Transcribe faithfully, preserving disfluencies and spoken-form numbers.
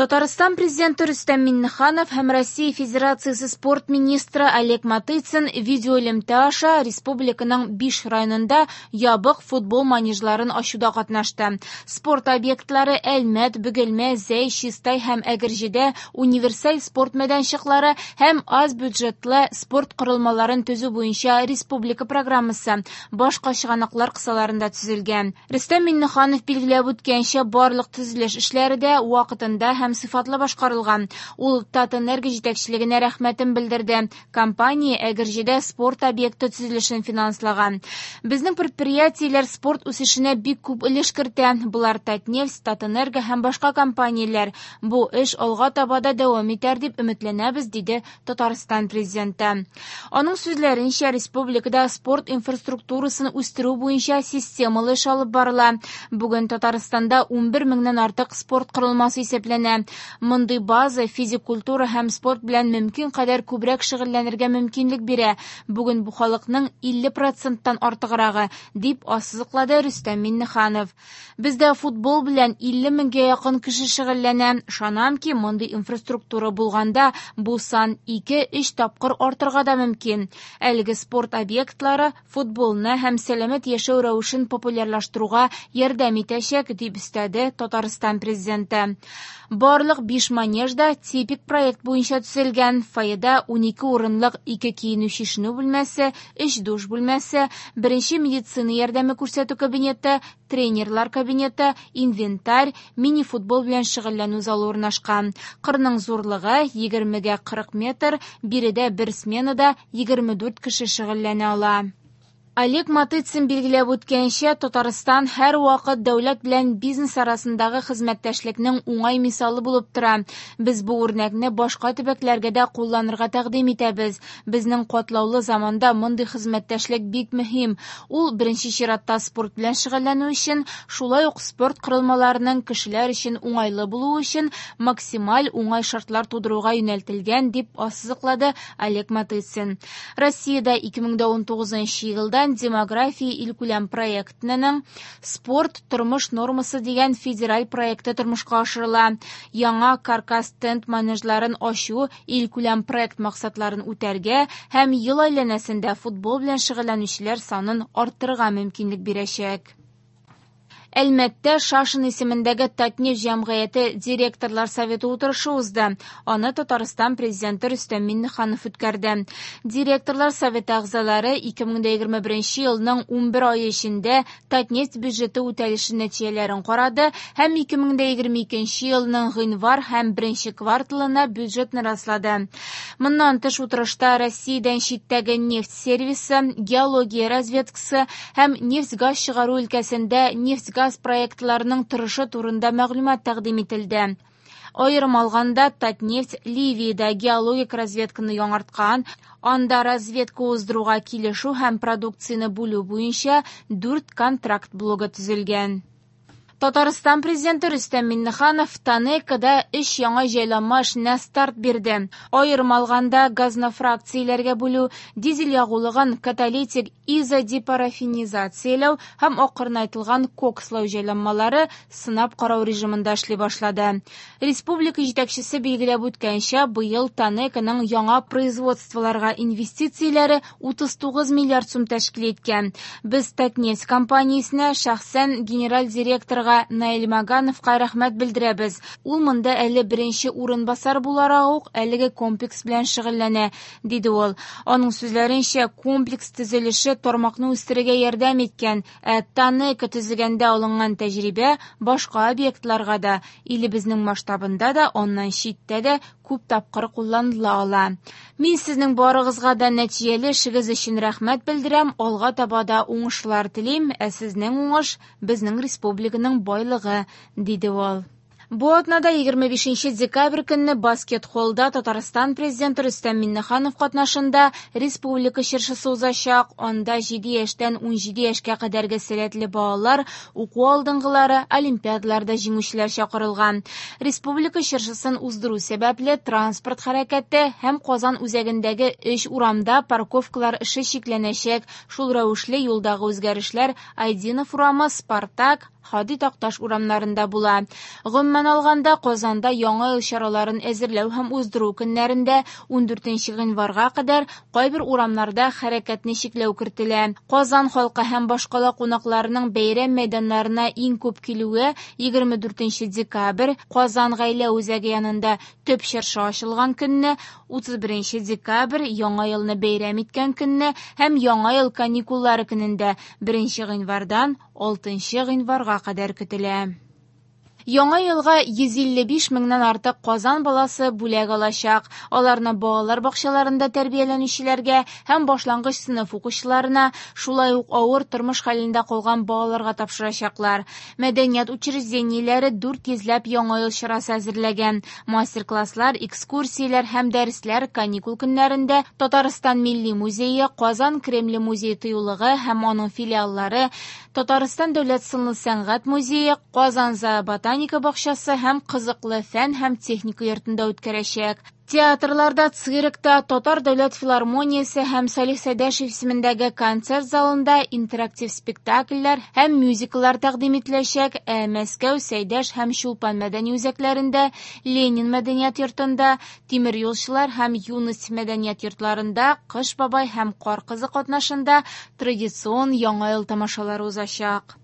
Татарстан Президенты Рөстәм Миңнеханов һәм Россия Федерациясе спорт министры Олег Матыцин видеоэлемтә аша республиканың биш районында ябык футбол манежларын ачуда катнашты. Спорт объектлары Әлмәт, Бөгелмә, Зәй, Чистай һәм Әгерҗедә универсаль спорт мәйданчыклары һәм аз бюджетлы спорт корылмаларын төзү буенча республика программасы башка чыганаклар кысаларында төзелгән. Рөстәм Миңнеханов билгеләп үткәнчә, барлык төзелеш эшләре дә вакытында һәм сыйфатлы башкарылган. Ул Татэнерго җитәкчелегенә рәхмәтен белдерде. Компания Әгерҗедә спорт объекты төзелешен финанслаган. Безнең предприятиеләр спорт үсешенә бик күп өлеш кертә. Болар Татнефть, Татэнерго һәм башка компанияләр. Бу эш алга таба да дәвам итәр дип өметләнәбез, диде Татарстан Президенты. Аның сүзләренчә, республикада спорт инфраструктурасын үстерү буенча системалы эш алып барыла. Бүген Татарстанда унбер меңнән артык спорт корылмасы исәпләнә. Мондый база физик культура һәм спорт белән мөмкин кадәр күбрәк шөгыльләнергә мөмкинлек бирә. Бүген бу халыкның илле проценттан артыграгы, дип ассызыклады Рөстәм Миңнеханов. Бездә футбол белән илле меңгә якын кеше шөгыльләнә. Ышанам ки, мондый инфраструктура булганда бу сан ике-өч тапкыр артырга да мөмкин. Әлеге спорт объектлары футболны һәм сәламәт яшәү рәвешен популярлаштыруга ярдәм итәчәк, дип өстәде Татарстан Президенты. Барлык биш манеж да типик проект буенча төзелгән. Фойеда унике урынлык ике киенү-чишенү бүлмәсе, өч душ бүлмәсе, беренче медицина ярдәме күрсәтү кабинеты, тренерлар кабинеты, инвентарь, мини-футбол белән шөгыльләнү залы урнашкан. Кырның зурлыгы егермегә кырык метр, биредә бер сменада егерме дүрт кеше шөгыльләнә ала. Олег Матыцин билгеләп үткәнчә, Татарстан һәр вакыт дәүләт белән бизнес арасындагы хезмәттәшлекнең уңай мисалы булып тора. Без бу үрнәкне башка төбәкләргә дә кулланырга тәкъдим итәбез. Безнең катлаулы заманда мондый хезмәттәшлек бик мөһим. Ул беренче чиратта спорт белән шөгыльләнү өчен, шулай ук спорт корылмаларының кешеләр өчен уңайлы булуы өчен максималь уңай шартлар тудыруга юнәлтелгән, дип ассызыклады Олег Матыцин. Россиядә ике мең дә унтугызынчы елдан Демография илкүләм проектының Спорт тормыш нормасы дигән федераль проекты тормышка ашырыла. Яңа каркас тент манежларын ачу илкүләм проект максатларын үтәргә һәм ел әйләнәсендә футбол белән шөгыльләнүчеләр санын арттырырга мөмкинлек бирәчәк. Әлмәттә Шашин исемендәге Татнефть җәмгыяте директорлар советы утырышы узды. Аны Татарстан Президенты Рөстәм Миңнеханов үткәрде. Директорлар советы әгъзалары ике мең дә егерме беренче елның унбер ае эчендә Татнефть бюджеты үтәлеше нәтиҗәләрен карады һәм ике мең дә егерме икенче елның гыйнвар һәм беренче кварталына бюджетны раслады. Моннан тыш утырышта Россиядән читтәге нефть сервисы, геология разведкасы һәм нефть-газ чыгару өлкәсендә нефть-газ газ проектларының торышы турында мәгълүмат тәкъдим ителде. Аерым алганда, Татнефть Ливиядә геологик разведканы яңарткан, анда разведка уздыруга килешү һәм продукцияне бүлү буенча дүрт контракт блогы төзелгән. Татарстан Президенты Рөстәм Миңнеханов ТАНЕКОда өч яңа җайланма эшенә старт бирде. Аерым алганда, газны фракцияләргә бүлү, дизель ягулыгын каталитик изодепарафинизацияләү һәм акрынайтылган кокслау җайланмалары сынап карау режимында эшли башлады. Республика җитәкчесе билгеләп үткәнчә, быел ТАНЕКОның яңа производстволарга инвестицияләре утыз тугыз миллиард сум тәшкил иткән. Без Татнефть компаниясенә шәхсән генераль директорга Наил Магановка рәхмәт белдерәбез. Ул монда әле беренче урынбасар буларак ук әлеге комплекс белән шөгыльләнә, диде ул. Аның сүзләренчә, комплекс төзелеше тармакны үстерергә ярдәм иткән, ә ТАНЕКО төзегәндә алынган тәҗрибә башка объектларга да, илебезнең масштабында да, аннан читтә дә күп тапкыр кулланыла ала. Мин сезнең барыгызга да нәтиҗәле эшегез өчен рәхмәт белдерәм, алга таба да уңышлар телим, ә сезнең уңыш безнең республиканың байлыгы, диде ул. Бу атнада егерме бишенче декабрь көнне баскет-холлда Татарстан Президенты Рөстәм Миңнеханов катнашында республика чыршысы узачак. Анда җиде яшьтән унҗиде яшькә кадәрге сәләтле балалар, уку алдынгылары, олимпиадаларда җиңүчеләр чакырылган. Республика чыршысын уздыру сәбәпле транспорт хәрәкәте һәм Казан үзәгендәге өч урамда парковкалар эше чикләнәчәк. Шул рәвешле юлдагы үзгәрешләр Айдинов урамы, Спартак, Һади Такташ урамнарында була. Гомумән алганда, Казанда Яңа ел чараларын әзерләү һәм уздыру көннәрендә ундүртенче гыйнварга кадәр кайбер урамнарда хәрәкәтне чикләү кертелә. Казан халкы һәм башкала кунакларының бәйрәм мәйданнарына иң күп килүе егерме дүртенче декабрь Казан гаилә үзәге янында төп чыршы ачылган көнне, утыз беренче декабрь Яңа елны бәйрәм иткән көнне һәм Яңа ел каникуллары көнендә беренче гыйнвардан алтынчы гыйнварга кадәр көтелә. Яңа елга йөз илле биш меңнән артык Казан баласы бүләк алачак. Аларны балалар бакчаларында тәрбияләнүчеләргә һәм башлангыч сыйныф укучыларына, шулай ук авыр тормыш хәлендә калган балаларга тапшырачаклар. Мәдәният учреждениеләре дүрт йөзләп Яңа ел чарасы әзерләгән. Мастер-класслар, экскурсияләр һәм дәресләр каникул көннәрендә Татарстан Милли музее, Казан Кремле музей тыюлыгы һәм аның филиаллары, Татарстан Дәүләт сынлы сәнгать музее, Казан зооботаника бакчасы һәм кызыклы фән һәм техника йортында үткәрәчәк. Театрларда, циркта, Татар дәүләт филармониясе һәм Салих Сәйдәшев исемендәге концерт залында интерактив спектакльләр һәм мюзикллар тәкъдим ителәчәк. Ә Мәскәү, Сәйдәш һәм Чулпан мәдәни үзәкләрендә, Ленин мәдәният йортында, Тимер юлчылар һәм Юность мәдәният йортларында Кыш бабай һәм Кар кызы катнашында традицион Яңа ел тамашалары узачак.